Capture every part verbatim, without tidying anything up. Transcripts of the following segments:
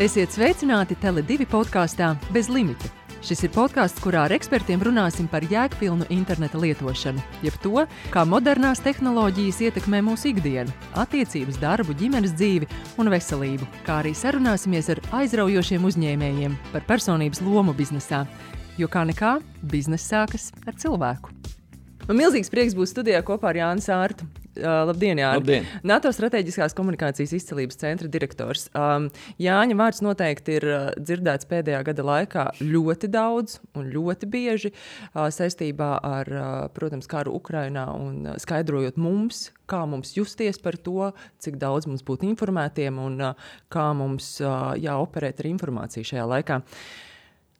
Esiet sveicināti Tele divi podkāstā Bez limita. Šis ir podkāsts, kurā ar ekspertiem runāsim par jēgpilnu interneta lietošanu, jeb to, kā modernās tehnoloģijas ietekmē mūsu ikdienu, attiecības, darbu, ģimenes dzīvi un veselību, kā arī sarunāsimies ar aizraujošiem uzņēmējiem par personības lomu biznesā, jo kā nekā bizness sākas ar cilvēku. Man milzīgs prieks būt studijā kopā ar Jāni Sārtu. Uh, labdien, Jāni. Labdien. NATO strateģiskās komunikācijas izcelības centra direktors. Um, Jāņa vārds noteikti ir uh, dzirdēts pēdējā gada laikā ļoti daudz un ļoti bieži uh, saistībā ar, uh, protams, karu Ukrainā un uh, skaidrojot mums, kā mums justies par to, cik daudz mums būt informētiem un uh, kā mums uh, jāoperēt ar informāciju šajā laikā.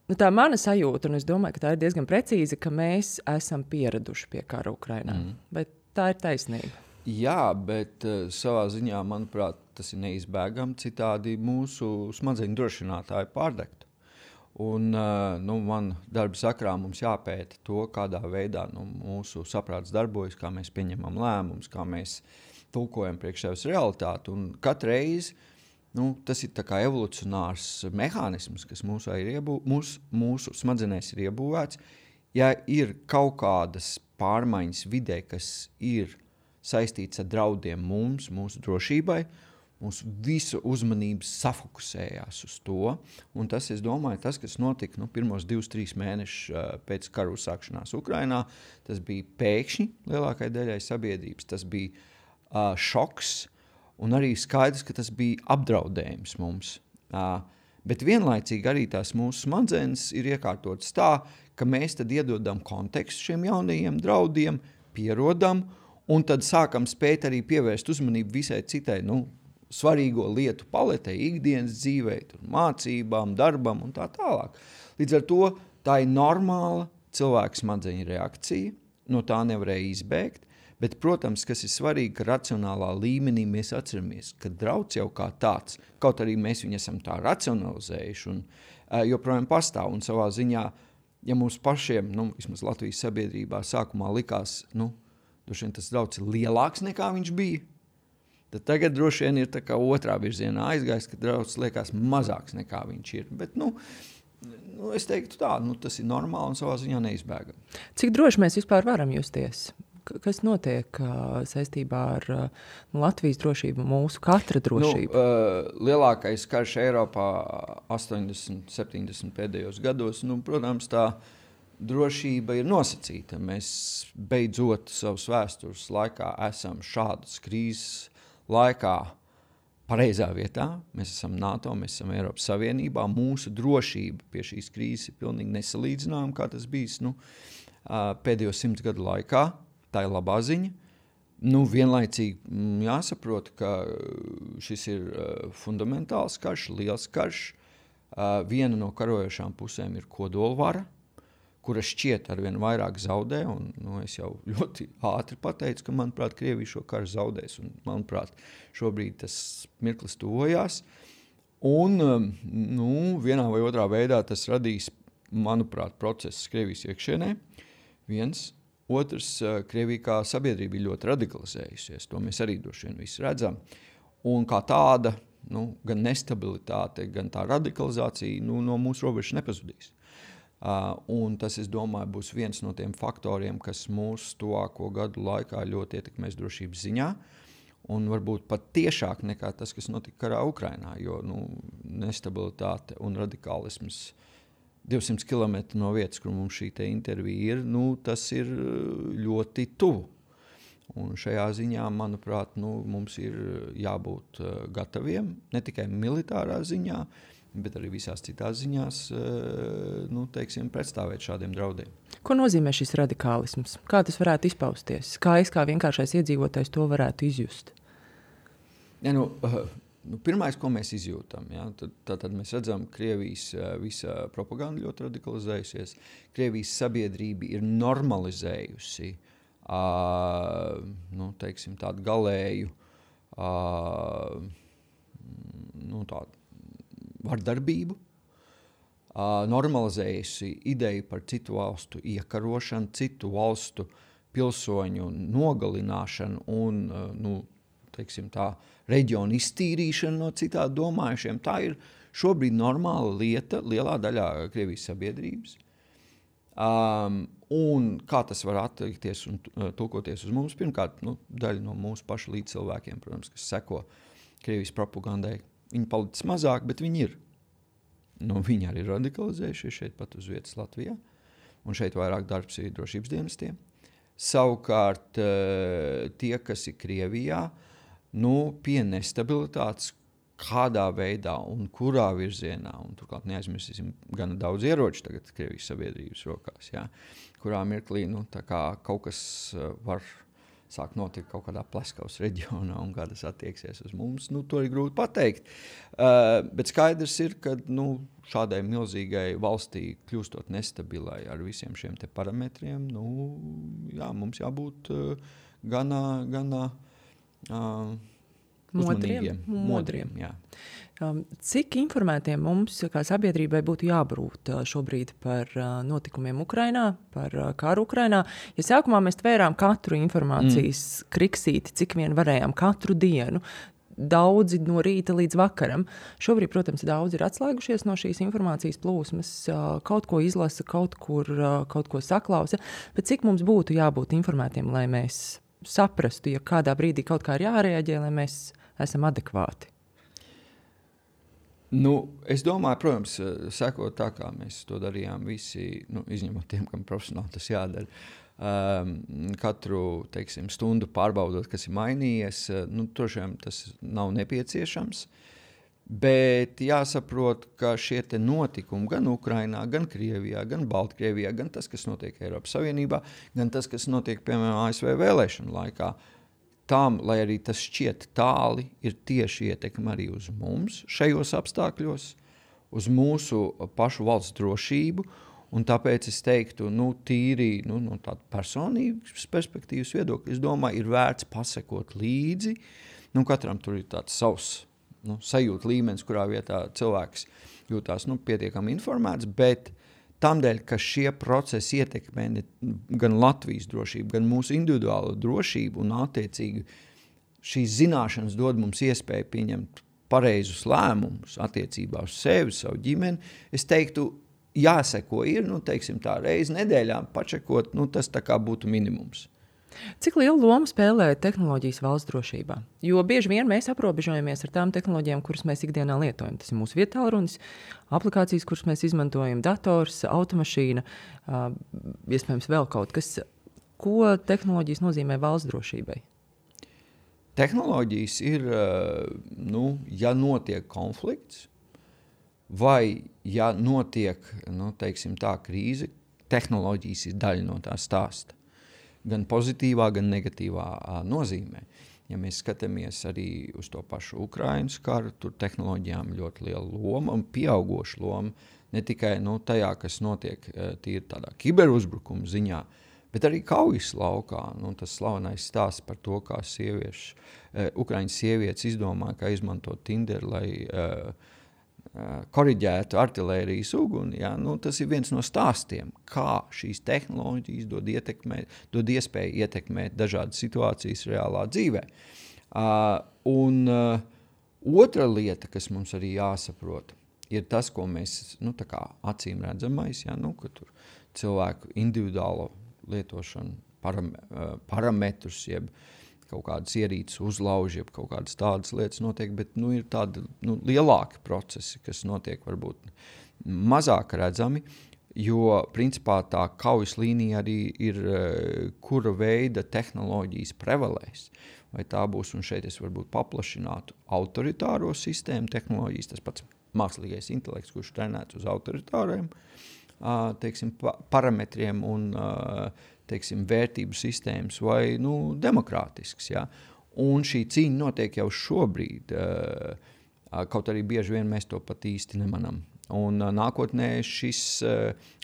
Nu, tā mana sajūta, un es domāju, ka tā ir diezgan precīza, ka mēs esam pieraduši pie kara Ukrainā. Mm. Bet tā ir taisnība. Jā, bet uh, savā ziņā, manuprāt, tas ir neizbēgami, citādi mūsu smadzeņu drošinātāji pārdegtu. Un uh, nu, man darba sakrā mums jāpēta to, kādā veidā nu, mūsu saprāts darbojas, kā mēs pieņemam lēmumus, kā mēs tulkojam priekš sevis realitāti. Un katru reizi nu, tas ir tā kā evolucionārs mehānisms, kas mūsu, iebū, mūsu, mūsu smadzenēs ir iebūvēts. Ja ir kaut kādas pārmaiņas vidē, kas ir saistīts ar draudiem mums, mūsu drošībai, mūsu visu uzmanības safokusējās uz to. Un tas, es domāju, tas, kas notika nu, pirmos divus, trīs mēnešus uh, pēc karu uzsākšanās Ukrainā, tas bija pēkšņi lielākai daļai sabiedrības, tas bija uh, šoks un arī skaidrs, ka tas bija apdraudējums mums. Uh, bet vienlaicīgi arī tās mūsu smadzenes ir iekārtotas tā, ka mēs tad iedodam kontekstu šiem jaunajiem draudiem, pierodam, un tad sākam spēt arī pievērst uzmanību visai citai nu, svarīgo lietu paletei, ikdienas dzīvei, mācībām, darbam un tā tālāk. Līdz ar to tā ir normāla cilvēka smadzeņu reakcija, no tā nevarēja izbēgt, bet, protams, kas ir svarīgi, ka racionālā līmenī mēs atceramies, ka drauds jau kā tāds, kaut arī mēs viņu esam tā racionalizējuši un uh, joprojām pastāv un savā ziņā, ja mums pašiem, nu, vismaz Latvijas sabiedrībā sākumā likās, nu, droši vien tas drauds ir lielāks nekā viņš bija, tad tagad droši vien ir tā kā otrā virzienā aizgājis, ka drauds liekas mazāks nekā viņš ir. Bet, nu, nu es teiktu tā, nu, tas ir normāli un savā ziņā neizbēgami. Cik droši mēs vispār varam justies? Kas notiek uh, saistībā ar uh, Latvijas drošību, mūsu katra drošību? Nu, uh, lielākais karš Eiropā astoņdesmit, septiņdesmit pēdējos gados, nu, protams, tā drošība ir nosacīta. Mēs beidzot savas vēstures laikā esam šādas krīzes laikā pareizā vietā. Mēs esam NATO, mēs esam Eiropas Savienībā. Mūsu drošība pie šīs krīzes ir pilnīgi nesalīdzināma, kā tas bijis nu, pēdējo simts gadu laikā. Tā ir labā ziņa. Nu, vienlaicīgi jāsaprot, ka šis ir fundamentāls karš, liels karš. Viena no karojošām pusēm ir kodolvara, kura šķiet arvien vairāk zaudē, un nu, es jau ļoti ātri pateicu, ka, manuprāt, Krievija šo karu zaudēs, un, manuprāt, šobrīd tas mirklis tuvojās. Un, nu, vienā vai otrā veidā tas radīs, manuprāt, procesus Krievijas iekšienē. Viens. Otrs, Krievija kā sabiedrība ir ļoti radikalizējusies, to mēs arī droši vien visi redzam. Un kā tāda, nu, gan nestabilitāte, gan tā radikalizācija nu, no mūsu robežas nepazudīs. Uh, un tas, es domāju, būs viens no tiem faktoriem, kas mūsu tuvāko gadu laikā ļoti ietekmēs drošības ziņā, un varbūt pat tiešāk nekā tas, kas notika karā Ukrainā, jo nu, nestabilitāte un radikālisms divsimt kilometru no vietas, kur mums šī te intervija ir, nu, tas ir ļoti tuvu. Un šajā ziņā, manuprāt, nu, mums ir jābūt uh, gataviem, ne tikai militārā ziņā, bet arī visās citās ziņās, nu, teiksim, pretstāvēt šādiem draudiem. Ko nozīmē šis radikālisms? Kā tas varētu izpausties? Kā es kā vienkāršais iedzīvotājs to varētu izjust? Ja, nu, nu, pirmais, ko mēs izjūtam, ja, tad, tad, tad mēs redzam, Krievijas visa propaganda ļoti radikalizējusies. Krievijas sabiedrība ir normalizējusi, uh, nu, teiksim, tādu galēju, uh, nu, tādu vardarbību, uh, normalizējusi ideju par citu valstu iekarošanu, citu valstu pilsoņu nogalināšanu un uh, nu, teiksim, tā reģiona iztīrīšana no citādi domājušiem. Tā ir šobrīd normāla lieta lielā daļā Krievijas sabiedrības. Um, un kā tas var attiekties un uh, tulkoties uz mums? Pirmkārt, nu, daļa no mūsu pašu līdzcilvēkiem, protams, kas seko Krievijas propagandai. Viņi palicis mazāk, bet viņi ir. Nu, viņi arī radikalizējušies šeit pat uz vietas Latvijā. Un šeit vairāk darbs ir drošības dienestiem. Savukārt uh, tie, kas ir Krievijā, nu, pie nestabilitātes, kādā veidā un kurā virzienā, un turklāt neaizmirsīsim gana daudz ieroču tagad Krievijas sabiedrības rokās, jā, kurā mirklī, nu, tā kā kaut kas var sāk notikt kaut kādā Pleskavas reģionā un kā tas attieksies uz mums, nu, to ir grūti pateikt. Uh, bet skaidrs ir, ka, nu, šādai milzīgai valstī kļūstot nestabilai ar visiem šiem te parametriem, nu, jā, mums jābūt uh, gana, gana uh, Modriem, modriem, jā. Um, cik informētiem mums, kā sabiedrībai, būtu jābūt uh, šobrīd par uh, notikumiem Ukrainā, par uh, karu Ukrainā? Ja sākumā mēs tvērām katru informācijas mm. kriksīti, cik vien varējām, katru dienu, daudzi no rīta līdz vakaram. Šobrīd, protams, daudzi ir atslēgušies no šīs informācijas plūsmas, uh, kaut ko izlasa, kaut kur, uh, kaut ko saklausa, bet cik mums būtu jābūt informētiem, lai mēs saprastu, ja kādā brīdī kaut kā ir jārēģē, lai mēs esam adekvāti? Nu, es domāju, protams, sekot tā, kā mēs to darījām visi, nu, izņemot tiem, kam profesionāli tas jādara, um, katru, teiksim, stundu pārbaudot, kas ir mainījies, nu, tošiem tas nav nepieciešams, bet jāsaprot, ka šie te notikumi gan Ukrainā, gan Krievijā, gan Baltkrievijā, gan tas, kas notiek Eiropas Savienībā, gan tas, kas notiek, piemēram, A S V vēlēšanu laikā, tam, lai arī tas šķiet tāli, ir tieši ietekme arī uz mums šajos apstākļos, uz mūsu pašu valsts drošību, un tāpēc es teiktu, nu, tīri, nu, no tāda personīgas perspektīvas viedokļa, es domāju, ir vērts pasekot līdzi, nu, katram tur ir tāds savs, nu, sajūta līmenis, kurā vietā cilvēks jūtās, nu, pietiekami informēts, bet tamdēļ, ka šie procesi ietekmē gan Latvijas drošību, gan mūsu individuālo drošību un attiecīgi šīs zināšanas dod mums iespēju pieņemt pareizus lēmumus attiecībā uz sevi, savu ģimeni. Es teiktu, jāseko ir, nu, teiksim tā, reizi nedēļā pačekot, nu, tas tā kā būtu minimums. Cik lielu lomu spēlē tehnoloģijas valsts drošībā? Jo bieži vien mēs aprobežojamies ar tām tehnoloģijām, kuras mēs ikdienā lietojam. Tas ir mūsu vietālrunis, aplikācijas, kuras mēs izmantojam, dators, automašīna, uh, iespējams vēl kaut kas. Ko tehnoloģijas nozīmē valsts drošībai? Tehnoloģijas ir, nu, ja notiek konflikts, vai ja notiek, nu, teiksim tā, krīze, tehnoloģijas ir daļa no tā stāsta. Gan pozitīvā, gan negatīvā nozīmē. Ja mēs skatāmies arī uz to pašu Ukrainas karu, tur tehnoloģijām ļoti liela loma un pieaugoša loma, ne tikai, nu, tajā, kas notiek tīri tādā kiberuzbrukuma ziņā, bet arī kaujas laukā. Nu, tas slavenais stāsts par to, kā sievieši, uh, Ukraiņas sievietes izdomāja, kā izmantot Tinder, lai uh, uh, koriģētu artilērijas uguni. Ja? Nu, tas ir viens no stāstiem, kā šīs tehnoloģijas dod, ietekmēt, dod iespēju ietekmēt dažādas situācijas reālā dzīvē. Uh, un uh, otra lieta, kas mums arī jāsaprot, ir tas, ko mēs, nu, tā kā acīm redzamais, ja? Nu, ka tur cilvēku individuālo lietošanu, param, parametrus, jeb kaut kādas ierīces uzlauž, jeb kaut kādas tādas lietas notiek, bet, nu, ir tādi, nu, lielāki procesi, kas notiek varbūt mazāk redzami, jo, principā, tā kaujas līnija arī ir, kura veida tehnoloģijas prevalēs. Vai tā būs, un šeit es varbūt paplašinātu autoritāro sistēmu tehnoloģijas, tas pats mākslīgais intelekts, kurš trenēts uz autoritāriem, teiksim, parametriem un, teiksim, vērtību sistēmas vai, nu, demokrātisks, ja. Un šī cīņa notiek jau šobrīd, kaut arī bieži vien mēs to pat īsti nemanam. Un nākotnē šis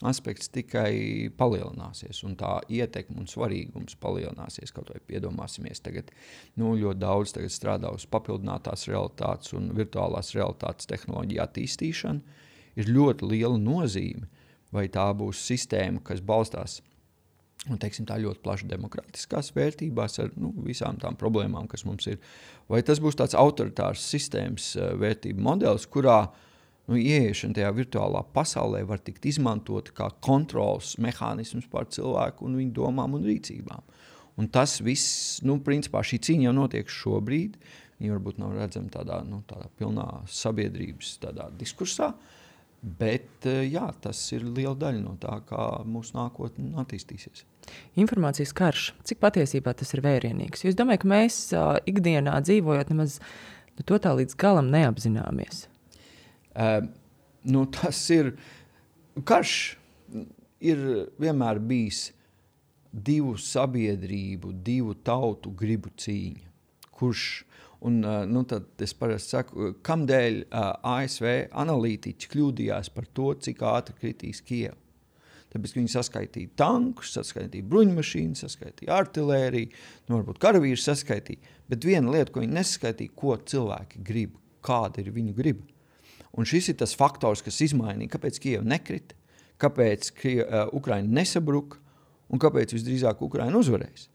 aspekts tikai palielināsies, un tā ietekme un svarīgums palielināsies, kaut vai piedomāsimies tagad, nu, ļoti daudz tagad strādā uz papildinātās realitātes un virtuālās realitātes tehnoloģiju attīstīšanu, ir ļoti liela nozīme, vai tā būs sistēma, kas balstās un, teiksim, tā ļoti plaši demokrātiskās vērtībās ar nu, visām tām problēmām, kas mums ir. Vai tas būs tāds autoritārs sistēmas vērtību modelis, kurā nu, ieiešana tajā virtuālā pasaulē var tikt izmantot kā kontrols mehānisms pār cilvēku un viņu domām un rīcībām. Un tas viss, nu, principā šī cīņa jau notiek šobrīd, viņa varbūt nav redzama tādā, nu, tādā pilnā sabiedrības tādā diskursā, bet, jā, tas ir liela daļa no tā, kā mūsu nākotne attīstīsies. Informācijas karš, cik patiesībā tas ir vērienīgs? Jo es domāju, ka mēs uh, ikdienā dzīvojot nemaz nu, to tā līdz galam neapzināmies. Uh, nu, tas ir, karš ir vienmēr bijis divu sabiedrību, divu tautu gribu cīņa. Kurš, un uh, nu, tad es parasti saku, kamdēļ uh, A S V analītiķi kļūdījās par to, cik ātri kritīs Kieva. Tāpēc, ka viņi saskaitīja tankus, saskaitīja bruņmašīnas, saskaitīja artilēriju, nu, varbūt karavīrus saskaitīja, bet viena lieta, ko viņi nesaskaitīja, ko cilvēki grib, kāda ir viņu griba. Un šis ir tas faktors, kas izmainīja, kāpēc Kieva nekrita, kāpēc Krie, uh, Ukraina nesabruka un kāpēc visdrīzāk Ukraina uzvarēs.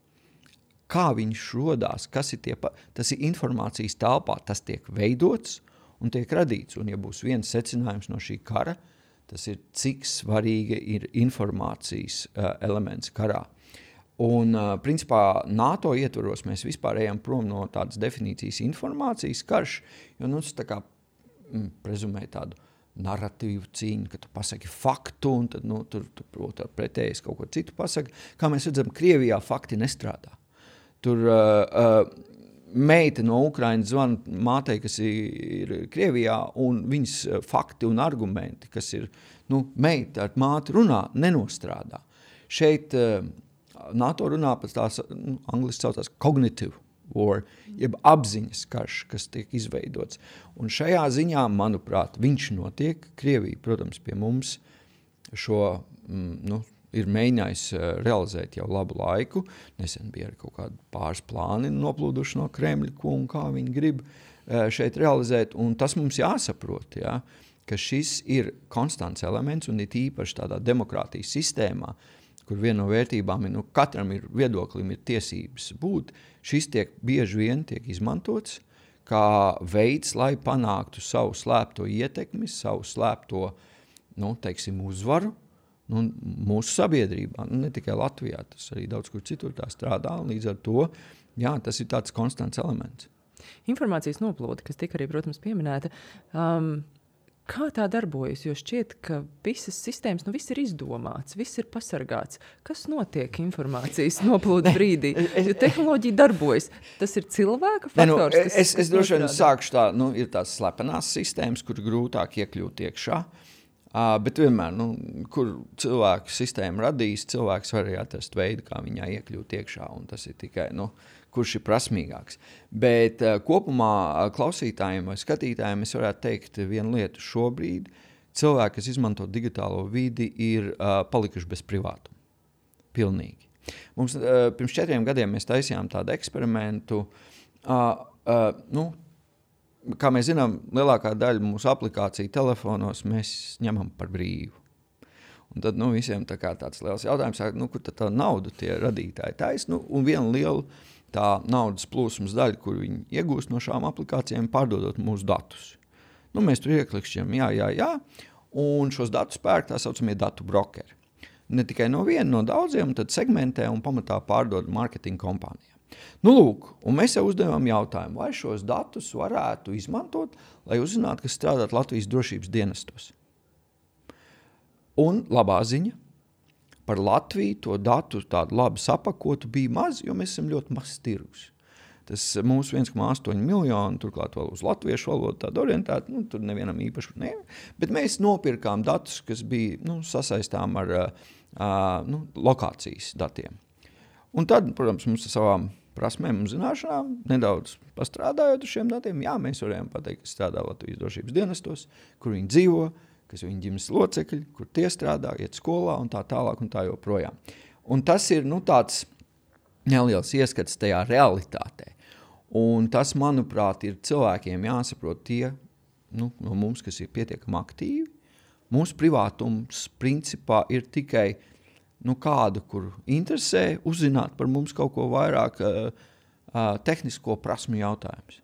Kā viņš rodās, kas ir tie, pa... tas ir informācijas telpā, tas tiek veidots un tiek radīts. Un ja būs viens secinājums no šī kara, tas ir, cik svarīga ir informācijas uh, elements karā. Un, uh, principā, NATO ietvaros mēs vispār ejam prom no tādas definīcijas informācijas karš, jo nu, tas tā kā mm, prezumē tādu narratīvu cīņu, ka tu pasaki faktu, un tad nu, tur, tur, tur pretējais kaut ko citu pasaki. Kā mēs redzam, Krievijā fakti nestrādā. Tur uh, uh, meita no Ukrainas zvana mātei, kas ir Krievijā, un viņas fakti un argumenti, kas ir, nu, meita ar māti runā, nenostrādā. Šeit uh, NATO runā par tās, nu, angliski saucās cognitive war, jeb apziņas karš, kas tiek izveidots. Un šajā ziņā, manuprāt, viņš notiek. Krievija, protams, pie mums šo, mm, nu, ir mēģinājis realizēt jau labu laiku. Nesen bija arī kaut kādi pāris plāni noplūduši no Kremļa, ko un kā viņi grib šeit realizēt. Un tas mums jāsaprot, ja, ka šis ir konstants elements un ir īpaši tādā demokrātijas sistēmā, kur viena no vērtībām ir, nu, katram ir viedoklim ir tiesības būt, šis tiek bieži vien tiek izmantots kā veids, lai panāktu savu slēpto ietekmi, savu slēpto, nu, teiksim, uzvaru, nu, mūsu sabiedrībā, nu, ne tikai Latvijā, tas arī daudz kur citur tā strādā, un līdz ar to, jā, tas ir tāds konstants elements. Informācijas noplūde, kas tika arī, protams, pieminēta, um, kā tā darbojas? Jo šķiet, ka visas sistēmas, nu viss ir izdomāts, viss ir pasargāts. Kas notiek informācijas noplūdes brīdī? Jo tehnoloģija darbojas. Tas ir cilvēka faktors? Ne, nu, es es droši vien sākšu tā, nu, ir tās slepenās sistēmas, kur grūtāk iekļūt iekšā. Uh, bet vienmēr, nu, kur cilvēku sistēma radīs, cilvēks var arī atrast veidu, kā viņā iekļūt iekšā, un tas ir tikai, nu, kurš ir prasmīgāks. Bet uh, kopumā uh, klausītājiem vai skatītājiem es varētu teikt vienu lietu šobrīd. Cilvēki, kas izmanto digitālo vidi, ir uh, palikuši bez privātuma. Pilnīgi. Mums uh, pirms četriem gadiem mēs taisījām tādu eksperimentu. Uh, uh, nu, kā mēs zinām, lielākā daļa mūsu aplikāciju telefonos mēs ņemam par brīvu. Un tad nu, visiem tā kā tāds liels jautājums, nu, kur tad tā nauda tie radītāji tais, nu, un viena liela tā naudas plūsmas daļa, kur viņi iegūst no šām aplikācijām, pārdodot mūsu datus. Nu, mēs tur ieklikšķiem, jā, jā, jā, un šos datus pērk tā saucamie datu brokeri. Ne tikai no viena, no daudziem, tad segmentē un pamatā pārdod marketinga kompānijām. Nu, lūk, un mēs jau uzdevām jautājumu, vai šos datus varētu izmantot, lai uzzinātu, kas strādāt Latvijas drošības dienestos. Un labā ziņa, par Latviju to datu tādu labi sapakotu bija maz, jo mēs esam ļoti maz tirgus. Tas mūsu viens komats astoņi miljoni, turklāt vēl uz latviešu valodu tādu orientētu, nu, tur nevienam īpaši ne. Bet mēs nopirkām datus, kas bija, nu, sasaistām ar uh, nu, lokācijas datiem. Un tad, protams, mums ar savām prasmēm un zināšanām nedaudz pastrādājot uz šiem datiem, jā, mēs varējām pateikt, kas strādā Latvijas drošības dienestos, kur viņi dzīvo, kas viņi ģimenes locekļi, kur tie strādā, iet skolā un tā tālāk un tā joprojām. Un tas ir, nu, tāds neliels ieskats tajā realitātē. Un tas, manuprāt, ir cilvēkiem jāsaprot tie, nu, no mums, kas ir pietiekami aktīvi. Mūsu privātums principā ir tikai nu, kādu, kur interesē, uzzināt par mums kaut ko vairāk uh, uh, tehnisko prasmu jautājums.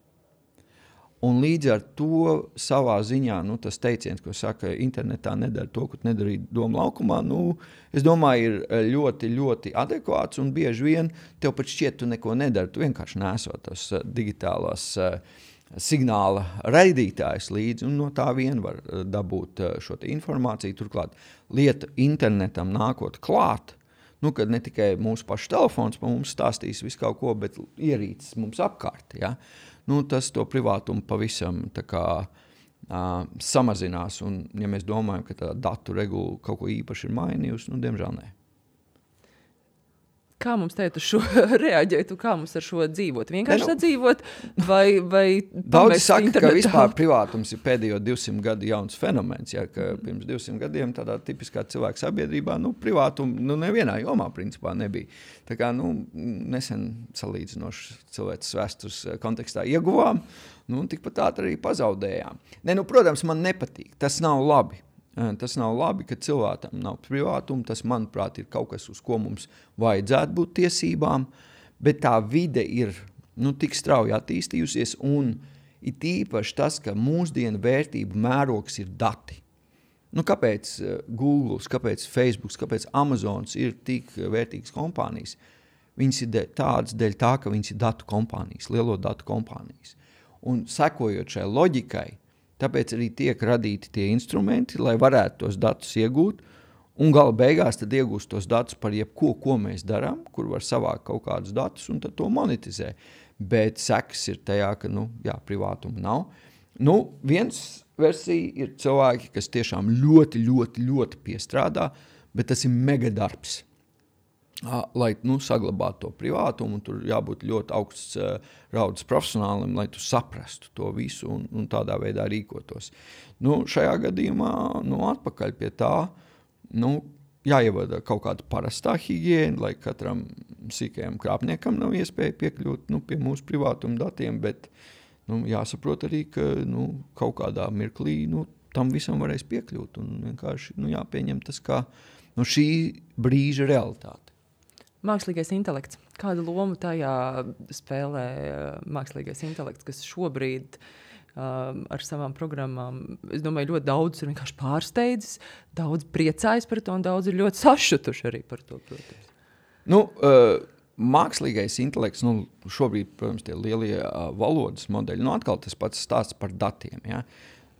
Un līdz ar to savā ziņā, nu, tas teiciens, ko saka, internetā nedara to, ko nedarīja doma laukumā, nu, es domāju, ir ļoti, ļoti adekvāts un bieži vien tev pat šķiet, tu neko nedari, tu vienkārši nesot tos uh, digitālās uh, signāla raidītājs līdzi, un no tā vien var uh, dabūt uh, šo te informāciju. Turklāt lieta internetam nākot klāt, nu, kad ne tikai mūsu pašu telefons pa mums stāstīs visu kaut ko, bet ierīces mums apkārt, ja? Nu, tas to privātumu pavisam tā kā uh, samazinās, un ja mēs domājam, ka tā datu regula kaut ko īpaši ir mainījusi, nu, diemžēl nē. Kā mums teikt uz šo reaģēt, un kā mums ar šo dzīvot? Vienkārši ne, nu, sadzīvot vai, vai daudzi saka, internetā? Ka vispār privātums ir pēdējo divsimt gadu jauns fenomens, ja, ka pirms divsimt gadiem tādā tipiskā cilvēka sabiedrībā, nu, privātumu, nu, nevienā jomā principā nebija. Tā kā, nu, nesen salīdzinoši cilvēces vēstures kontekstā ieguvām, nu, tikpat tā arī pazaudējām. Ne, nu, protams, man nepatīk, tas nav labi. Tas nav labi, ka cilvēkam nav privātuma, tas, manuprāt, ir kaut kas, uz ko mums vajadzētu būt tiesībām, bet tā vide ir, nu, tik strauji attīstījusies, un ir tīpaši tas, ka mūsdienu vērtību mērogs ir dati. Nu, kāpēc Google, kāpēc Facebook, kāpēc Amazons ir tik vērtīgas kompānijas? Viņas ir tādas dēļ tā, ka viņas ir datu kompānijas, lielo datu kompānijas. Un sekojot šai loģikai, tāpēc arī tiek radīti tie instrumenti, lai varētu tos datus iegūt, un gala beigās tad iegūst tos datus par jebko, ko mēs darām, kur var savākt kaut kādus datus, un tad to monetizē. Bet sekas ir tajā, ka, nu, jā, privātuma nav. Nu, viens versija ir cilvēki, kas tiešām ļoti, ļoti, ļoti piestrādā, bet tas ir mega darbs. Lai, nu, saglabātu to privātumu, un tur jābūt ļoti augsts uh, raudas profesionālim, lai tu saprastu to visu un, un tādā veidā rīkotos. Nu, šajā gadījumā, nu, atpakaļ pie tā, nu, jāievada kaut kāda parastā higiēna, lai katram sīkajam krāpniekam nav iespēja piekļūt, nu, pie mūsu privātuma datiem, bet, nu, jāsaprot arī, ka, nu, kaut kādā mirklī, nu, tam visam varēs piekļūt, un vienkārši, nu, jāpieņem tas kā, nu, šī brīža realitāte. Mākslīgais intelekts. Kādu lomu tajā spēlē mākslīgais intelekts, kas šobrīd um, ar savām programmām, es domāju, ļoti daudz ir vienkārši pārsteidzis, daudz priecājas par to un daudz ir ļoti sašutuši arī par to, protams. Nu, uh, mākslīgais intelekts, nu, šobrīd, protams, tie lielie uh, valodas modeļi, nu, atkal tas pats stāsts par datiem, ja?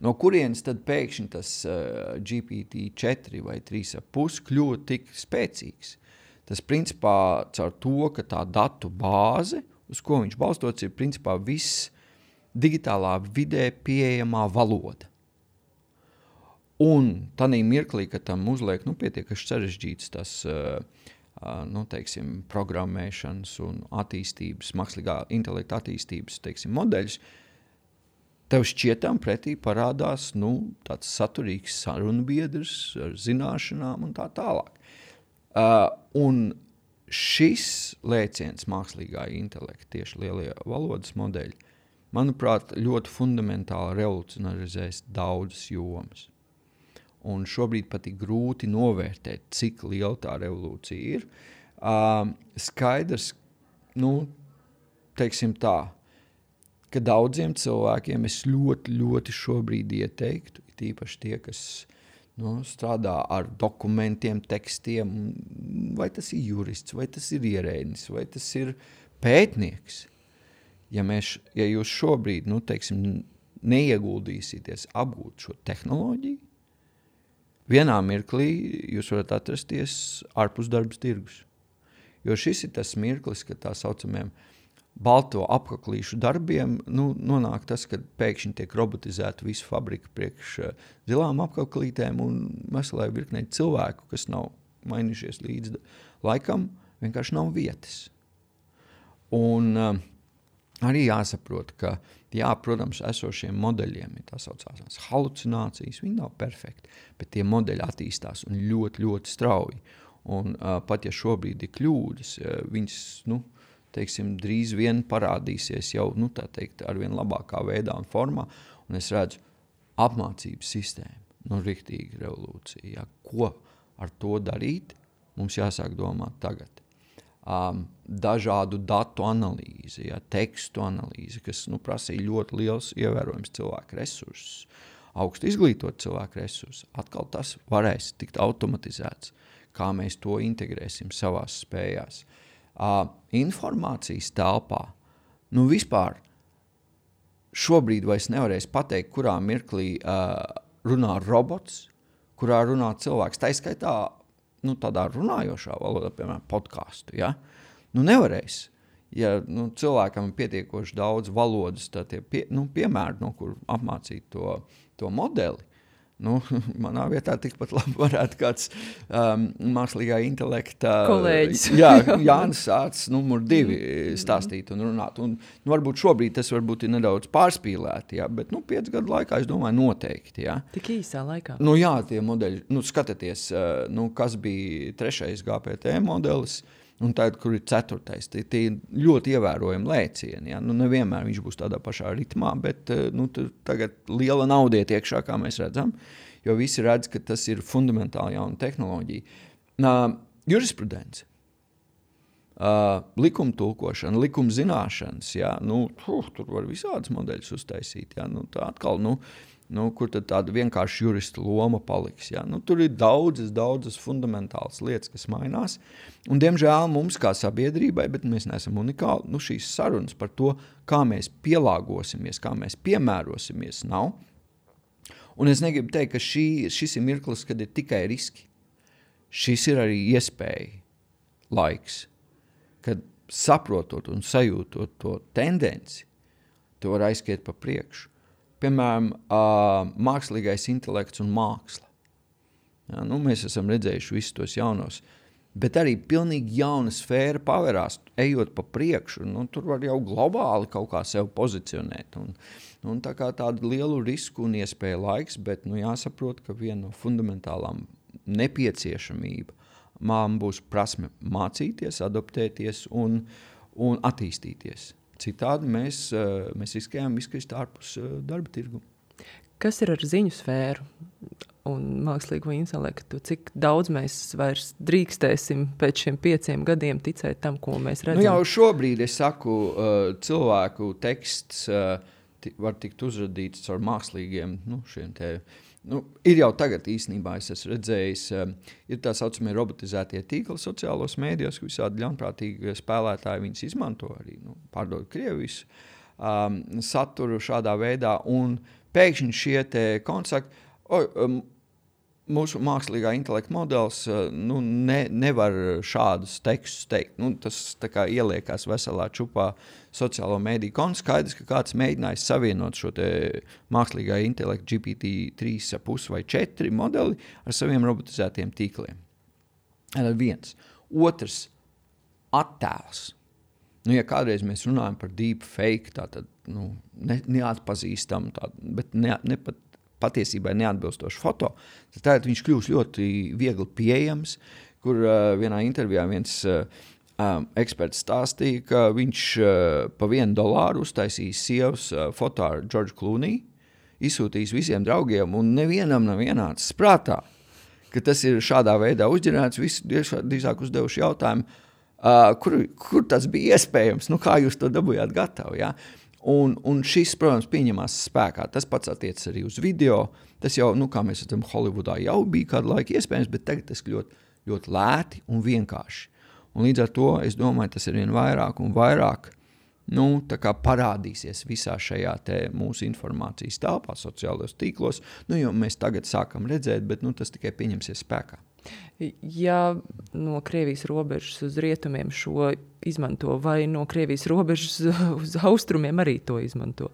No kurienes tad pēkšņi tas uh, G P T četri vai trīs ar pus kļuva tik spēcīgs? Tas principā caur to, ka tā datu bāze, uz ko viņš balstots, ir principā viss digitālā vidē pieejamā valoda. Un tādā mirklī, ka tam uzliek, nu, pietiekaši sarežģīts tas, uh, uh, nu, teiksim, programmēšanas un attīstības, mākslīgā intelekta attīstības, teiksim, modeļus, tev šķietam pretī parādās, nu, tāds saturīgs sarunbiedrs ar zināšanām un tā tālāk. Uh, un šis lēciens mākslīgā intelekta, tieši lielie valodas modeļi, manuprāt, ļoti fundamentāli revolucionarizēs daudzas jomas. Un šobrīd pat ir grūti novērtēt, cik liela tā revolūcija ir. Uh, skaidrs, nu, teiksim tā, ka daudziem cilvēkiem es ļoti, ļoti šobrīd ieteiktu, tīpaši tie, kas nu, strādā ar dokumentiem, tekstiem, vai tas ir jurists, vai tas ir ierēdnis, vai tas ir pētnieks. Ja, mēs, ja jūs šobrīd, nu, teiksim, neieguldīsieties apgūt šo tehnoloģiju, vienā mirklī jūs varat atrasties ārpus darbas tirgus. Jo šis ir tas mirklis, ka tā saucamiem balto apaklīšu darbiem, nu, nonāk tas, ka pēkšņi tiek robotizēta visu fabriku priekš zilām apaklītēm un veselai virknei cilvēku, kas nav mainījušies līdz laikam, vienkārši nav vietas. Un uh, arī jāsaprot, ka, jā, protams, esošiem modeļiem ir tā saucās halucinācijas, viņi nav perfekti, bet tie modeļi attīstās un ļoti, ļoti strauji. Un uh, pat ja šobrīd ir kļūdas, uh, viņas, nu, teiksim, drīz vien parādīsies jau, nu, tā teikt, ar vien labākā veidā un formā, un es redzu apmācības sistēmu, nu, riktīgi revolūcija, ja? Ko ar to darīt, mums jāsāk domāt tagad. Um, dažādu datu analīzi, ja, tekstu analīzi, kas nu, prasīja ļoti liels ievērojams cilvēku resursus, augstu izglītot cilvēku resursus. Atkal tas varēs tikt automatizēts, kā mēs to integrēsim savās spējās. Uh, informācijas telpā, nu vispār šobrīd vairs nevarēs pateikt, kurā mirklī uh, runā robots, kurā runā cilvēks. Tā izskaitā nu, tādā runājošā valodā, piemēram, podcastu, ja? Nu, nevarēs. Ja nu, cilvēkam ir pietiekoši daudz valodas, tad tie pie, nu, piemēri, no kur apmācīt to, to modeli, nu, manā vietā tikpat labi varētu kāds um, mākslīgā intelekta kolēģis. Jā, Jānis Sācis numur divi stāstīt un runāt. Un, nu, varbūt šobrīd tas varbūt ir nedaudz pārspīlēti, jā, bet nu, piec gadu laikā, es domāju, noteikti. Jā. Tik īsā laikā? Nu, jā, tie modeļi, nu, skatieties, nu, kas bija trešais G P T modelis, un tagad, kur ir ceturtais, tie, tie ļoti ievērojami lēcieni. Ja? Nu, nevienmēr viņš būs tādā pašā ritmā, bet nu, tagad liela naudiet iekšā, kā mēs redzam, jo visi redz, ka tas ir fundamentāli jauna tehnoloģija. Uh, jurisprudence, uh, likuma tulkošana, likuma zināšanas, ja? Nu, uh, tur var visādas modeļus uztaisīt. Ja? Nu, tā atkal, nu, nu, kur tad tāda vienkārši jurista loma paliks. Ja? Nu, tur ir daudzas, daudzas fundamentālas lietas, kas mainās. Un, diemžēl, mums kā sabiedrībai, bet mēs neesam unikāli, nu, šīs sarunas par to, kā mēs pielāgosimies, kā mēs piemērosimies, nav. Un es negribu teikt, ka šī, šis ir mirklis, kad ir tikai riski. Šis ir arī iespēja laiks, kad saprotot un sajūtot to tendenci, to var aizskiet pa priekšu. Piemēram, uh, mākslīgais intelekts un māksla. Ja, nu, mēs esam redzējuši visus tos jaunos, bet arī pilnīgi jauna sfēra pavērās, ejot pa priekšu. Nu, tur var jau globāli kaut kā sev pozicionēt. Un, un tā kā tādu lielu risku un iespēju laiks, bet nu, jāsaprot, ka viena no fundamentālām nepieciešamība man būs prasme mācīties, adaptēties un, un attīstīties. Citādi mēs, mēs riskējam izkrist ārpus darba tirgu. Kas ir ar ziņu sfēru un mākslīgo intelektu? Cik daudz mēs vairs drīkstēsim pēc šiem pieciem gadiem ticēt tam, ko mēs redzam? Nu jau šobrīd, es saku, cilvēku teksts var tikt uzradīts ar mākslīgiem, nu, šiem te, nu, ir jau tagad īstenībā, es esmu redzējis, ir tā saucamie robotizētie tīkli sociālos mēdījos, ka visādi ļaunprātīgi spēlētāji viņus izmanto arī, nu, pārdod Krievijas um, saturu šādā veidā, un pēkšņi šie te kontakti, oj, um, mūsu mākslīgā intelekta modelis nu, ne, nevar šādus tekstus teikt. Nu, tas tā kā ieliekās veselā čupā sociālo mēdīju kontu. Skaidrs, ka kāds mēģinājis savienot šo te mākslīgā intelekta G P T trīs komats pieci vai četri modeli ar saviem robotizētiem tīkliem. Tas viens. Otrs, attēls. Nu, ja kādreiz mēs runājam par deep fake, tātad nu, ne, neatpazīstam, tā, bet ne, ne pat patiesībai neatbilstošu foto, tad tagad viņš kļūst ļoti viegli pieejams, kur uh, vienā intervijā viens uh, um, eksperts stāstīja, ka viņš uh, pa vienu dolāru uztaisīs sievas uh, foto ar George Clooney, izsūtīs visiem draugiem, un nevienam nav ienācis prātā, ka tas ir šādā veidā uzģerēts, visi drīzāk uzdevuši jautājumu, uh, kur, kur tas bija iespējams, nu kā jūs to dabūjāt gatavu, ja? Un, un šis, protams, pieņemās spēkā. Tas pats attiecas arī uz video. Tas jau, nu, kā mēs redzam, Holivudā jau bija kādu laiku iespējams, bet tagad tas ļoti, ļoti lēti un vienkārši. Un līdz ar to, es domāju, tas ir vien vairāk un vairāk, nu, tā kā parādīsies visā šajā te mūsu informācijas telpā, sociālos tīklos, nu, jo mēs tagad sākam redzēt, bet, nu, tas tikai pieņemsies spēkā. Ja no Krievijas robežas uz rietumiem šo izmanto, vai no Krievijas robežas uz austrumiem arī to izmanto?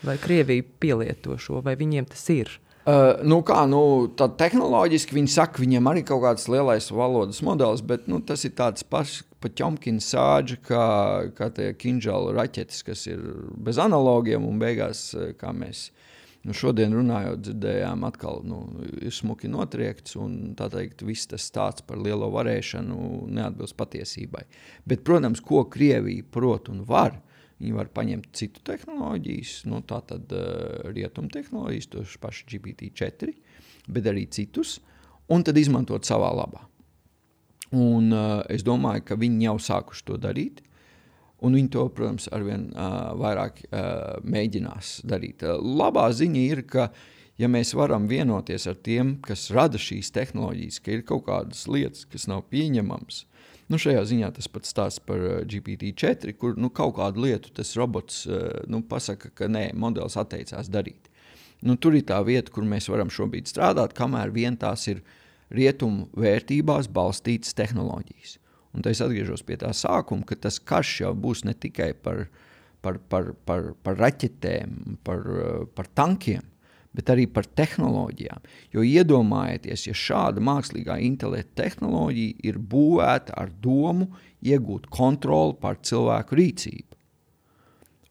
Vai Krievija pielieto šo, vai viņiem tas ir? Uh, nu kā, nu, tad tehnoloģiski viņi saka, viņiem arī kaut kāds lielais valodas modelis, bet, nu, tas ir tāds pašs pa ķomkina sāģi, kā, kā tie Kinžala raķetes, kas ir bez analogiem un beigās, kā mēs Nu, šodien runājot, dzirdējām atkal, nu, ir smuki notriekts un tā teikt, viss tas stāsts par lielo varēšanu neatbilst patiesībai. Bet, protams, ko Krievija prot un var, viņi var paņemt citu tehnoloģijas, nu, tā tad uh, rietumu tehnoloģijas, tos paši G P T četri, bet arī citus, un tad izmantot savā labā. Un uh, es domāju, ka viņi jau sākuši to darīt. Un viņi to, protams, arvien uh, vairāk uh, mēģinās darīt. Uh, labā ziņa ir, ka ja mēs varam vienoties ar tiem, kas rada šīs tehnoloģijas, ka ir kaut kādas lietas, kas nav pieņemams, nu šajā ziņā tas pats stāsts par uh, G P T četri, kur nu, kaut kādu lietu tas robots uh, nu, pasaka, ka nē, modelis atteicās darīt. Nu, tur ir tā vieta, kur mēs varam šobrīd strādāt, kamēr vien tās ir rietumu vērtībās balstītas tehnoloģijas. Un tā es atgriežos pie tā sākuma, ka tas karš jau būs ne tikai par, par, par, par, par raķetēm, par, par tankiem, bet arī par tehnoloģijām. Jo iedomājieties, ja šāda mākslīgā intelekta tehnoloģija ir būvēta ar domu iegūt kontroli pār cilvēku rīcību.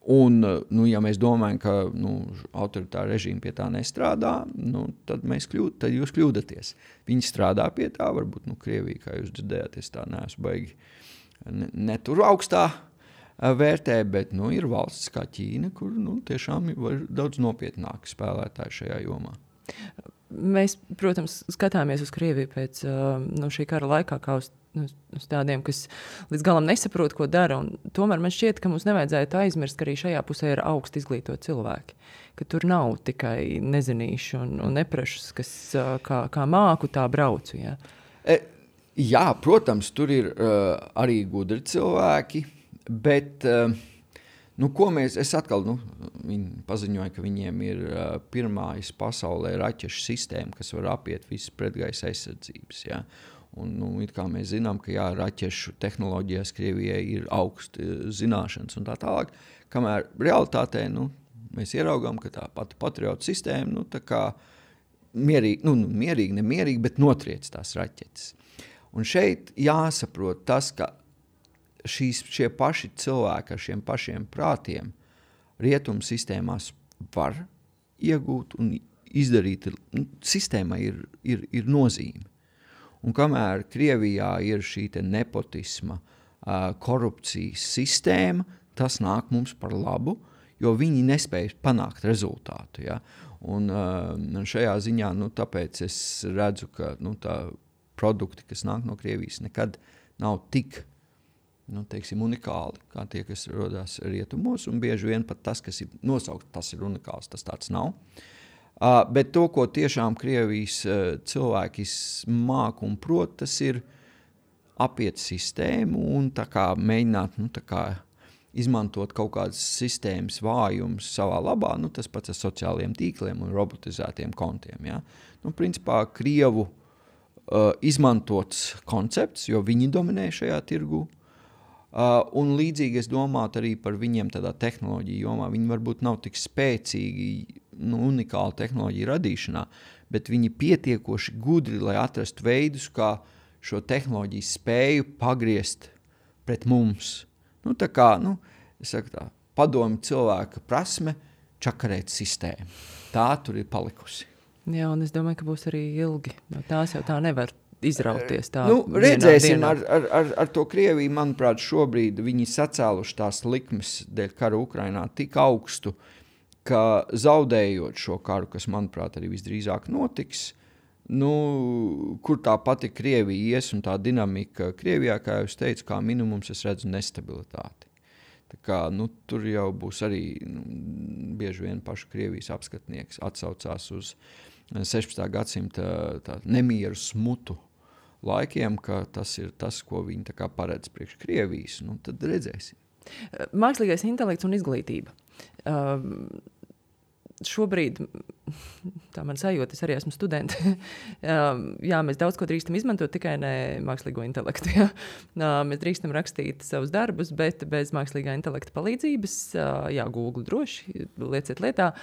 Un, nu, ja mēs domājam, ka nu, autoritāra režīma pie tā nestrādā, nu, tad, mēs kļūd, tad jūs kļūdaties. Viņi strādā pie tā, varbūt nu, Krievija, kā jūs dzirdējāt, es tā neesmu baigi ne, ne tur augstā vērtē, bet nu, ir valsts kā Ķīna, kur nu, tiešām var daudz nopietnāk spēlētāji šajā jomā. Mēs, protams, skatāmies uz Krieviju pēc nu, šī kara laikā, kā uz uz tādiem, kas līdz galam nesaprot, ko dara. Un tomēr man šķiet, ka mums nevajadzētu aizmirst, ka arī šajā pusē ir augsti izglītoti cilvēki. Ka tur nav tikai nezinīši un, un neprešus, kas kā, kā māku, tā braucu. Jā, e, jā protams, tur ir uh, arī gudri cilvēki, bet uh, nu, ko mēs, es atkal, nu, viņi paziņoja, ka viņiem ir uh, pirmais pasaulē raķešu sistēma, kas var apiet visas pretgaisa aizsardzības, jā. Un, nu, it kā mēs zinām, ka jā, raķešu tehnoloģijās Krievijai ir augsti zināšanas un tā tālāk, kamēr realitātē nu, mēs ieraugām, ka tā pati patriotu sistēma nu, tā kā mierīgi, nu, mierīgi, nemierīgi, bet notriec tās raķetes. Un šeit jāsaprot tas, ka šīs, šie paši cilvēki ar šiem pašiem prātiem rietumu sistēmās var iegūt un izdarīt. Nu, sistēmai ir, ir, ir nozīme. Un kamēr Krievijā ir šī te nepotisma, uh, korupcijas sistēma, tas nāk mums par labu, jo viņi nespēj panākt rezultātu. Ja? Un uh, šajā ziņā, nu, tāpēc es redzu, ka nu, tā produkti, kas nāk no Krievijas, nekad nav tik nu, teiksim, unikāli, kā tie, kas rodās rietumos, un bieži vien pat tas, kas ir nosaukt, tas ir unikāls, tas tāds nav. Uh, bet to, ko tiešām Krievijas uh, cilvēki māk un prot, tas ir apiet sistēmu un tā kā mēģināt nu, tā kā izmantot kaut kādas sistēmas vājumus savā labā, nu, tas pats ar sociālajiem tīkliem un robotizētiem kontiem. Ja? Nu, principā Krievu uh, izmantots koncepts, jo viņi dominē šajā tirgu. Uh, un līdzīgi es domātu arī par viņiem tādā tehnoloģiju jomā. Viņi varbūt nav tik spēcīgi, nu, unikāla tehnoloģija radīšanā, bet viņi pietiekoši gudri, lai atrastu veidus, kā šo tehnoloģiju spēju pagriezt pret mums. Nu, tā kā, nu, es saku tā, padomi cilvēka prasme čakarēt sistēmu. Tā tur ir palikusi. Jā, un es domāju, ka būs arī ilgi. No tās jau tā nevar izrauties tā nu, redzēsim dienā. Ar, ar, ar, ar to Krieviju, manuprāt, šobrīd viņi sacēluši tās likmes dēļ kara Ukrainā tik augstu, ka zaudējot šo karu, kas, manuprāt, arī visdrīzāk notiks, nu, kur tā pati Krievija ies un tā dinamika Krievijā, kā jau es teicu, kā minimums es redzu nestabilitāti. Tā kā, nu, tur jau būs arī nu, bieži vien pašu Krievijas apskatnieks atsaucās uz sešpadsmitā gadsimta tā, nemieru smutu laikiem, ka tas ir tas, ko viņi tā kā paredz priekš Krievijas. Nu, tad redzēsim. Mākslīgais intelekts un izglītība. Uh, šobrīd, tā man sajūta, es arī esmu studenti, uh, jā, mēs daudz ko drīkstam izmantot, tikai ne mākslīgo intelektu. Jā. Uh, mēs drīkstam rakstīt savus darbus, bet bez mākslīgā intelekta palīdzības, uh, jā, Google droši, lieciet lietā.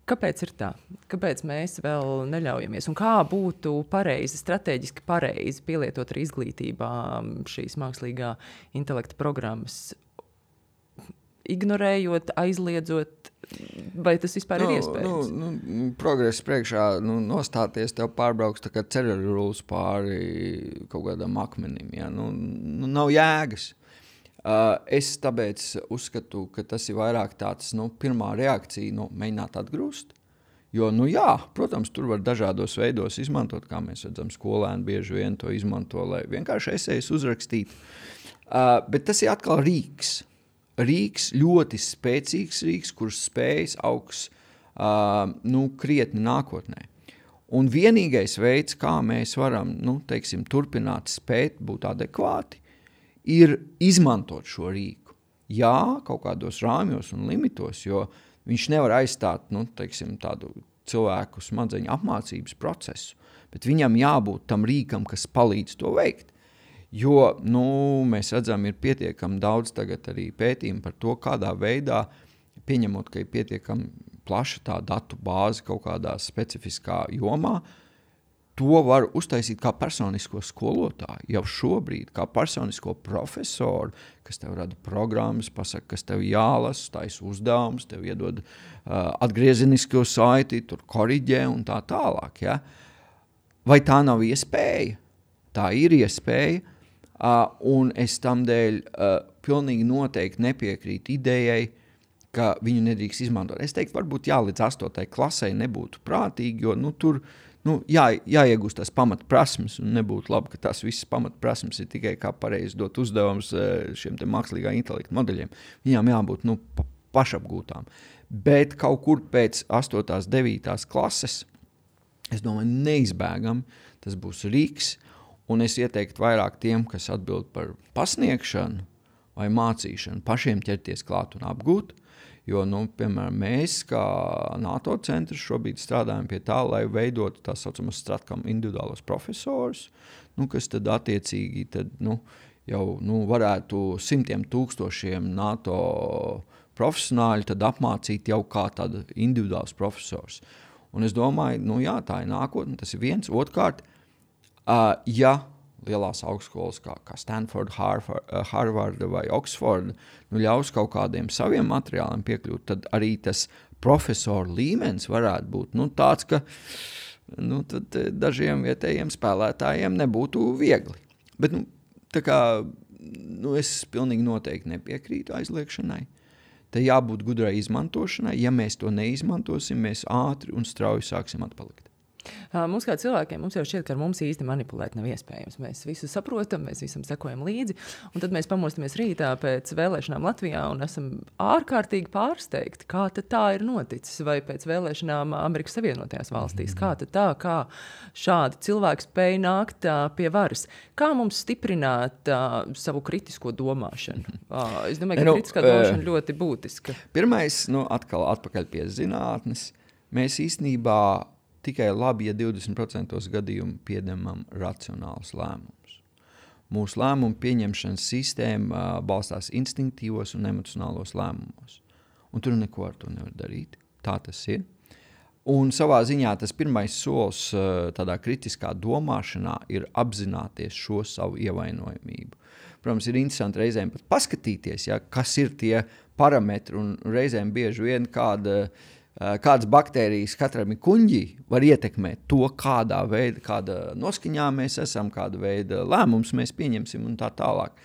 Kāpēc ir tā? Kāpēc mēs vēl neļaujamies? Un kā būtu pareizi, strateģiski pareizi pielietot arī izglītībā šīs mākslīgā intelekta programmas? Ignorējot, aizliedzot, vai tas vispār nu, ir iespējams? Nu, nu, progress priekšā nu, nostāties, tev pārbrauks tā kā ceļarulis pāri kaut kādam akmenim. Ja? Nu, nu, nav jēgas. Uh, es tāpēc uzskatu, ka tas ir vairāk tāds, nu, pirmā reakcija, nu, mēģināt atgrūst, Jo, nu jā, protams, tur var dažādos veidos izmantot, kā mēs redzam, skolēni bieži vien to izmanto, lai vienkārši esejas uzrakstītu. Uh, bet tas ir atkal rīks. Rīks, ļoti spēcīgs rīks, kurš spējas augs uh, nu, krietni nākotnē. Un vienīgais veids, kā mēs varam, nu, teiksim, turpināt spēt būt adekvāti, ir izmantot šo rīku. Jā, kaut kādos rāmjos un limitos, jo viņš nevar aizstāt, nu, teiksim, tādu cilvēku smadzeņu apmācības procesu, bet viņam jābūt tam rīkam, kas palīdz to veikt. Jo, nu, mēs redzam, ir pietiekami daudz tagad arī pētījumi par to, kādā veidā, pieņemot, ka ir pietiekami plaša tā datu bāze kaut kādā specifiskā jomā, to var uztaisīt kā personisko skolotāju jau šobrīd, kā personisko profesoru, kas tev rada programmas, pasaka, kas tev jālas, taisa uzdevums, tev iedod uh, atgriezenisko saiti, tur koriģē un tā tālāk. Ja? Vai tā nav iespēja? Tā ir iespēja, uh, un es tamdēļ uh, pilnīgi noteikti nepiekrītu idejai, ka viņu nedrīkst izmantot. Es teiktu, varbūt jā, līdz astotai klasei nebūtu prātīgi, jo nu, tur nu, jā, jāiegūst tās pamatprasmes, un nebūtu labi, ka tās visas pamatprasmes ir tikai kā pareizi dot uzdevums šiem te mākslīgā intelekta modeļiem. Viņām jābūt nu, pa, pašapgūtām. Bet kaut kur pēc astotās, devītās klases, es domāju, neizbēgam, tas būs rīks, un es ieteiktu vairāk tiem, kas atbild par pasniegšanu vai mācīšanu, pašiem ķerties klāt un apgūt. Jo, nu, piemēram, mēs kā NATO centrs šobrīd strādājam pie tā, lai veidotu tā saucamas Stratcom individuālos profesorus, nu, kas tad attiecīgi tad, nu, jau nu, varētu simtiem tūkstošiem NATO profesionāļu tad apmācīt jau kā tāda individuāls profesors. Un es domāju, nu jā, tā ir nākotne, tas ir viens. Otrkārt, uh, ja lielās augstskolas kā, kā Stanford, Harvard, Harvard vai Oxford nu, ļaus kaut kādiem saviem materiāliem piekļūt, tad arī tas profesoru līmenis varētu būt nu, tāds, ka nu, tad dažiem vietējiem spēlētājiem nebūtu viegli. Bet nu, tā kā, nu, es pilnīgi noteikti nepiekrītu aizliekšanai. Te jābūt gudrai izmantošanai. Ja mēs to neizmantosim, mēs ātri un strauji sāksim atpalikt. Mums kā cilvēkiem, mums jau šķiet, ka ar mums īsti manipulēt nav iespējams. Mēs visu saprotam, mēs visam sekojam līdzi, un tad mēs pamostamies rītā pēc vēlēšanām Latvijā un esam ārkārtīgi pārsteigti, kā tad tā ir noticis, vai pēc vēlēšanām Amerikas Savienotajās valstīs, kā tad tā, kā šādi cilvēki spēj nākt uh, pie varas. Kā mums stiprināt uh, savu kritisko domāšanu? Uh, es domāju, ka nu, kritiskā domāšana ļoti būtiska. Pirmais, nu, atkal atpakaļ pie zinātnes, mēs īstenībā tikai labi, ja divdesmit procenti gadījumu pieņemam racionālus lēmumus. Mūsu lēmumu pieņemšanas sistēma uh, balstās instinktīvos un emocionālos lēmumos. Un tur neko ar to nevar darīt. Tā tas ir. Un savā ziņā tas pirmais solis uh, tādā kritiskā domāšanā ir apzināties šo savu ievainojamību. Protams, ir interesanti reizēm pat paskatīties, ja, kas ir tie parametri, un reizēm bieži vien kāda kādas baktērijas katram ir kuņģi var ietekmēt to, kādā veida, kāda noskaņā mēs esam, kāda veida lēmums mēs pieņemsim un tā tālāk.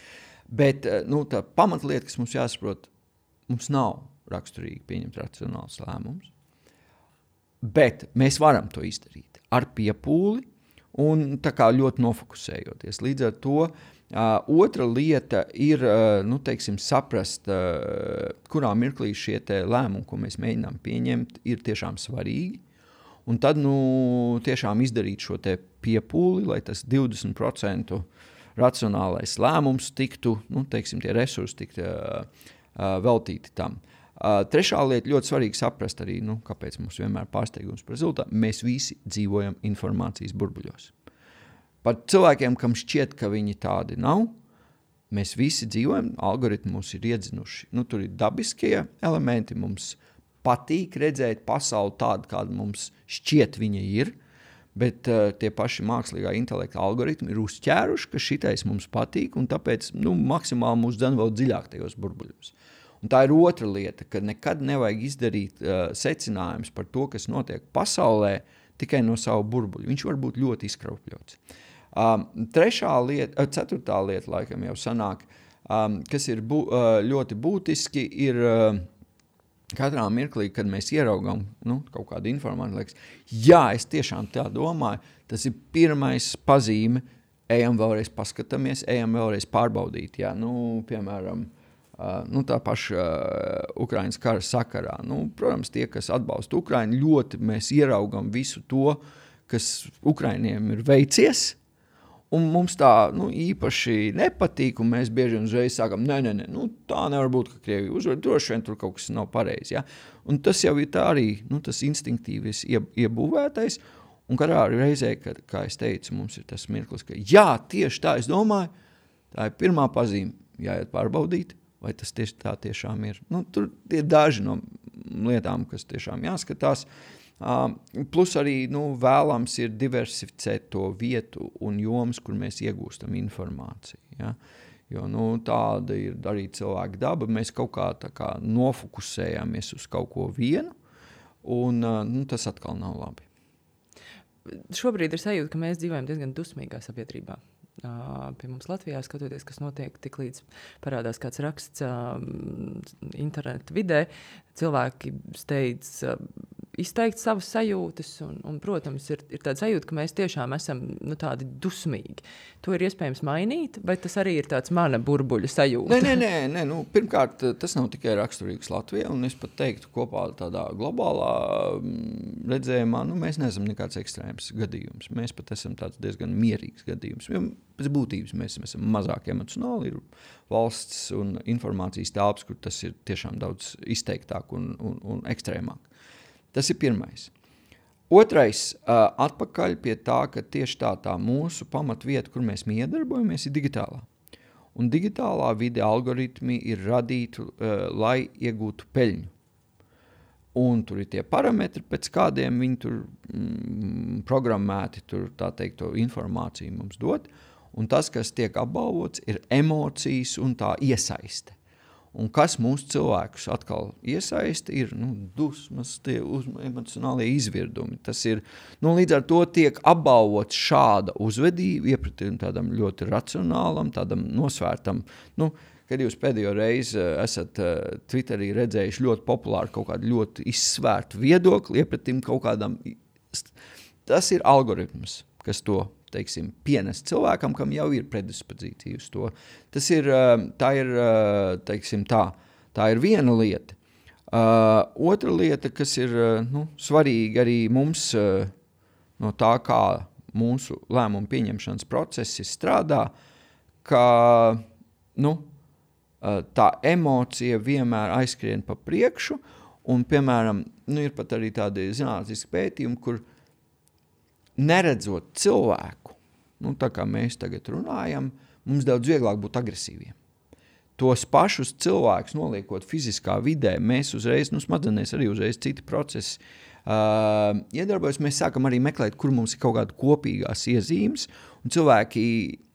Bet nu, tā pamatlieta, kas mums jāsaprot, mums nav raksturīgi pieņemt racionāls lēmums, bet mēs varam to izdarīt ar piepūli un tā kā ļoti nofokusējoties. Līdz ar to Uh, otra lieta ir, uh, nu, teiksim, saprast, uh, kurā mirklī šie te lēmumi, ko mēs mēģinām pieņemt, ir tiešām svarīgi. Un tad, nu, tiešām izdarīt šo te piepūli, lai tas divdesmit procenti racionālais lēmums tiktu, nu, teiksim, tie resursi tiktu uh, uh, veltīti tam. Uh, trešā lieta ļoti svarīgi saprast arī, nu, kāpēc mums vienmēr pārsteigums par rezultātu. Mēs visi dzīvojam informācijas burbuļos. Pat cilvēkiem, kam šķiet, ka viņi tādi nav, mēs visi dzīvojam, algoritmi mūs ir iedzinuši. Nu, tur ir dabiskie elementi, mums patīk redzēt pasauli tādu, kāda mums šķiet viņa ir, bet uh, tie paši mākslīgā intelekta algoritmi ir uzķēruši, ka šitais mums patīk, un tāpēc nu, maksimāli mūs dzen vēl dziļāk tajos burbuļos. Un tā ir otra lieta, ka nekad nevajag izdarīt uh, secinājumus par to, kas notiek pasaulē, tikai no savu burbuļu. Viņš var būt ļoti izkraupļots. Um, trešā lieta, ceturtā lieta laikam jau sanāk, um, kas ir bū, uh, ļoti būtiski, ir uh, katrā mirklī, kad mēs ieraugam nu, kaut kādu informāciju, liekas, jā, es tiešām tā domāju, tas ir pirmais pazīme, ejam vēlreiz paskatāmies, ejam vēlreiz pārbaudīt. Jā, nu, piemēram, uh, nu, tā paša uh, Ukrainas kara sakarā. Nu, protams, tie, kas atbalsta Ukrainu, ļoti mēs ieraugam visu to, kas Ukrainiem ir veicies, un mums tā nu, īpaši nepatīk, un mēs bieži vien uzreiz sākam, nē, nē, nē, nu, tā nevar būt, ka Krievija uzvar, droši vien tur kaut kas nav pareizi. Ja? Un tas jau ir tā arī, nu, tas instinktīvis iebūvētais, un katrā reizē, kad, kā es teicu, mums ir tas mirklis, ka jā, tieši tā es domāju, tā ir pirmā pazīme, jāiet pārbaudīt, vai tas tieši tā tiešām ir. Nu, tur ir daži no lietām, kas tiešām jāskatās. Uh, plus arī nu, vēlams ir diversificēt to vietu un jomas, kur mēs iegūstam informāciju. Ja? Jo nu, tāda ir arī cilvēka daba. Mēs kaut kā, tā kā nofokusējāmies uz kaut ko vienu, un uh, nu, tas atkal nav labi. Šobrīd ir sajūta, ka mēs dzīvojam diezgan dusmīgā sabiedrībā. Uh, pie mums Latvijā skatoties, kas notiek tik līdz parādās kāds raksts uh, internetu vidē, cilvēki steidz uh, izteikt savas sajūtas, un, un protams, ir, ir tāda sajūta, ka mēs tiešām esam nu, tādi dusmīgi. To ir iespējams mainīt, vai tas arī ir tāds mana burbuļa sajūta? Nē, nē, nē, nē nu, pirmkārt, tas nav tikai raksturīgs Latvijā, un es pat teiktu kopā tādā globālā redzējumā, nu, mēs neesam nekāds ekstrēms gadījums. Mēs pat esam tāds diezgan mierīgs gadījums. Jo pēc būtības mēs esam mazāk emocionāli, ir valsts un informācijas telpas, kur tas ir tiešām daudz izteiktāk un, un, un ekstrēmāk. Tas ir pirmais. Otrais, uh, atpakaļ pie tā, ka tieši tā, tā mūsu pamatvieta, kur mēs iedarbojamies, ir digitālā. Un digitālā vide algoritmi ir radīti, uh, lai iegūtu peļņu. Un tur ir tie parametri, pēc kādiem viņi tur mm, programmēti, tur tā teikt, to informāciju mums dod. Un tas, kas tiek apbalvots, ir emocijas un tā iesaiste. Un kas mūsu cilvēkus atkal iesaista, ir nu, dusmas, tie uz, emocionālie izvirdumi. Tas ir, nu, līdz ar to tiek apbalvots šāda uzvedība, iepratīm tādam ļoti racionālam, tādam nosvērtam. Nu, kad jūs pēdējo reizi esat uh, Twitterī redzējuši ļoti populāru kaut kādu ļoti izsvērtu viedokli, iepratīm kaut kādam. Tas ir algoritms, kas to teiksim, pienest cilvēkam, kam jau ir predispozīcija uz to. Tas ir, tā ir, teiksim, tā, tā ir viena lieta. Uh, otra lieta, kas ir nu, svarīga arī mums uh, no tā, kā mūsu lēmumu pieņemšanas procesi strādā, ka nu, uh, tā emocija vienmēr aizskrien pa priekšu, un, piemēram, nu, ir pat arī tādi zinātniski pētījumi, kur neredzot cilvēku, nu, tā kā mēs tagad runājam, mums daudz vieglāk būt agresīviem. Tos pašus cilvēkus noliekot fiziskā vidē, mēs uzreiz, nu, smadzenēs arī uzreiz citi procesi uh, iedarbojas, mēs sākam arī meklēt, kur mums ir kaut kāda kopīgās iezīmes, un cilvēki,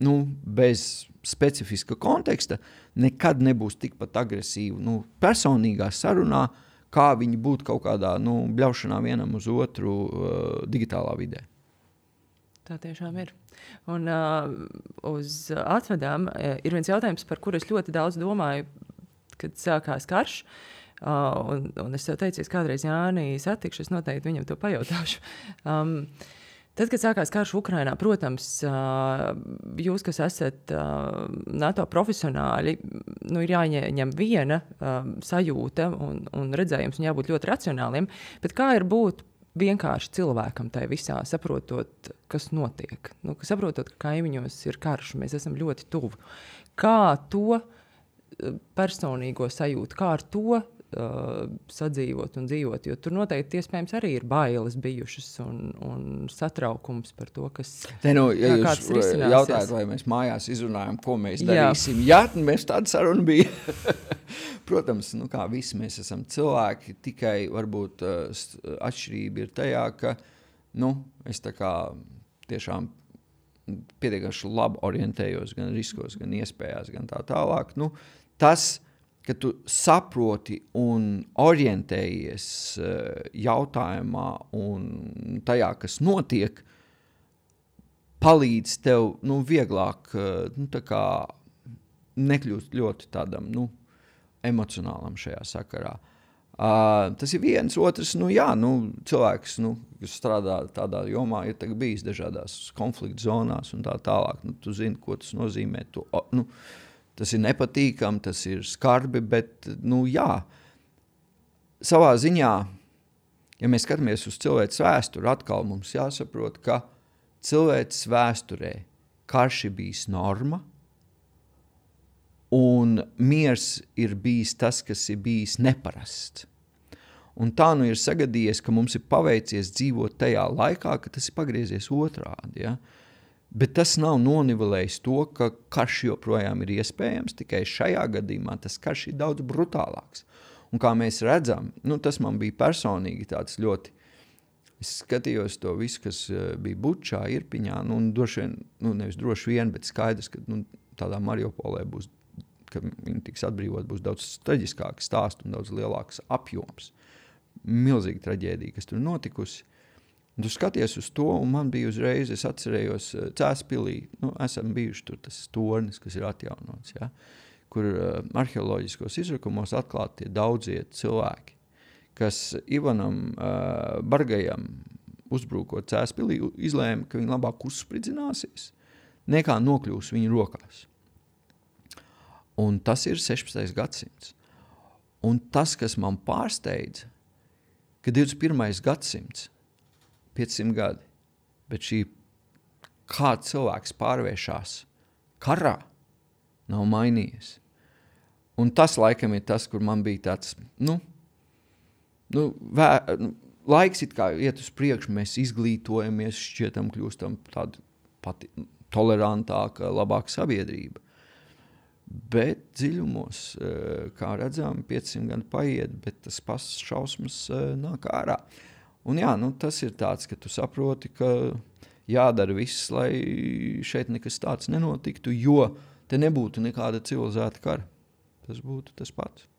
nu, bez specifiska konteksta nekad nebūs tikpat agresīvi, nu, personīgā sarunā, kā viņi būtu kaut kādā, nu, bļaušanā vienam uz otru uh, digitālā vidē. Tā tiešām ir. Un uh, uz atvedām uh, ir viens jautājums, par kuru es ļoti daudz domāju, kad sākās karš. Uh, un, un es jau teicu, es kādreiz Jāni satikšu, es noteikti viņam to pajautāšu. Um, tad, kad sākās karš Ukrainā, protams, uh, jūs, kas esat uh, NATO profesionāļi, nu, ir jāņem viena uh, sajūta un, un redzējums, un jābūt ļoti racionāliem, bet kā ir būt vienkārši cilvēkam tai visā, saprotot, kas notiek. Nu, saprotot, ka kaimiņos ir karš, mēs esam ļoti tuvu. Kā to personīgo sajūtu, kā ar to uh, sadzīvot un dzīvot, jo tur noteikti iespējams arī ir bailes bijušas un, un satraukums par to, kas Te, nu, ja kā, jūs jautājat, vai mēs mājās izrunājam, ko mēs darīsim. Jā, Jā mēs tāda saruna bija. Protams, nu kā visi mēs esam cilvēki, tikai varbūt uh, atšķirība ir tajā, ka nu, es tā kā tiešām pietiekami labi orientējos gan riskos, gan iespējās, gan tā tālāk. Nu, tas, ka tu saproti un orientējies uh, jautājumā un tajā, kas notiek, palīdz tev nu, vieglāk uh, nu, tā kā nekļūst ļoti tādam, nu, emocionālam šajā sakarā. Uh, tas ir viens, otrs, nu jā, nu, cilvēks, nu, kas strādā tādā jomā, ir tagad bijis dažādās konflikta zonās un tā tālāk. Nu, tu zini, ko tas nozīmē. Tu, nu, tas ir nepatīkami, tas ir skarbi, bet, nu jā, savā ziņā, ja mēs skatāmies uz cilvēces vēsturi, atkal mums jāsaprot, ka cilvēces vēsturē karš ir bijis norma, un miers ir bijis tas, kas ir bijis neparasts. Un tā nu ir sagadījies, ka mums ir paveicies dzīvot tajā laikā, ka tas ir pagriezies otrādi. Ja? Bet tas nav nonivelējis to, ka karš joprojām ir iespējams, tikai šajā gadījumā tas karš ir daudz brutālāks. Un kā mēs redzam, nu, tas man bija personīgi tāds ļoti, es skatījos to visu, kas bija Bučā, Irpiņā, nu, un droši vien, nu, nevis droši vien, bet skaidrs, ka nu, tādā Mariupolē būs, ka viņi tiks atbrīvot, būs daudz traģiskāks stāsts un daudz lielāks apjoms. Milzīga traģēdija, kas tur notikusi. Un tu skaties uz to, un man bija uzreiz, es atcerējos Cēspilī, nu, esam bijuši tur tas tornis, kas ir atjaunots, ja, kur uh, arheoloģiskos izrakumos atklāti tie daudzie cilvēki, kas Ivanam uh, Bargajam uzbrūkot Cēspilī izlēma, ka viņi labāk uzspridzināsies, nekā nokļūs viņu rokās. Un tas ir sešpadsmitais gadsimts. Un tas, kas man pārsteidza, ka divdesmit pirmais gadsimts, piecsimt gadi, bet šī kā cilvēks pārvēršās karā, nav mainījies. Un tas laikam ir tas, kur man bija tāds, nu, nu, vē, laiks it kā iet uz priekšu, mēs izglītojamies, šķietam kļūstam tāda pati tolerantāka, labāka sabiedrība. Bet dziļumos, kā redzām, piecsimt gadi paiet, bet tas pats šausmas nāk ārā. Un jā, nu, tas ir tāds, ka tu saproti, ka jādara viss, lai šeit nekas tāds nenotiktu, jo te nebūtu nekāda civilizēta kara. Tas būtu tas pats.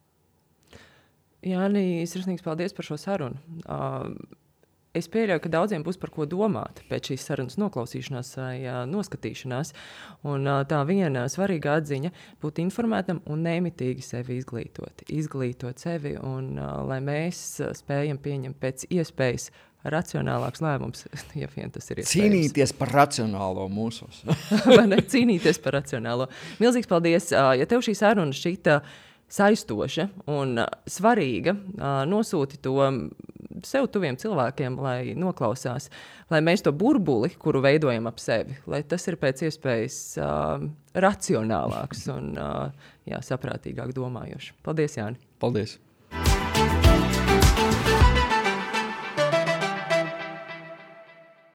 Jāni, sirsnīgs paldies par šo sarunu. Uh, Es pieļauju, ka daudziem būs par ko domāt pēc šīs sarunas noklausīšanās vai uh, noskatīšanās. Un uh, tā viena svarīga atziņa būt informētam un nemitīgi sevi izglītot. Izglītot sevi un uh, lai mēs uh, spējam pieņemt pēc iespējas racionālāks lēmums, ja vien tas ir iespējams. Cīnīties par racionālo mūsos. Vai ne? Cīnīties par racionālo. Milzīgs paldies. Uh, ja tev šī saruna šķita saistoša un uh, svarīga, uh, nosūti to sev tuviem cilvēkiem, lai noklausās, lai mēs to burbuli, kuru veidojam ap sevi, lai tas ir pēc iespējas uh, racionālāks un uh, jā, saprātīgāk domājošs. Paldies, Jāni! Paldies!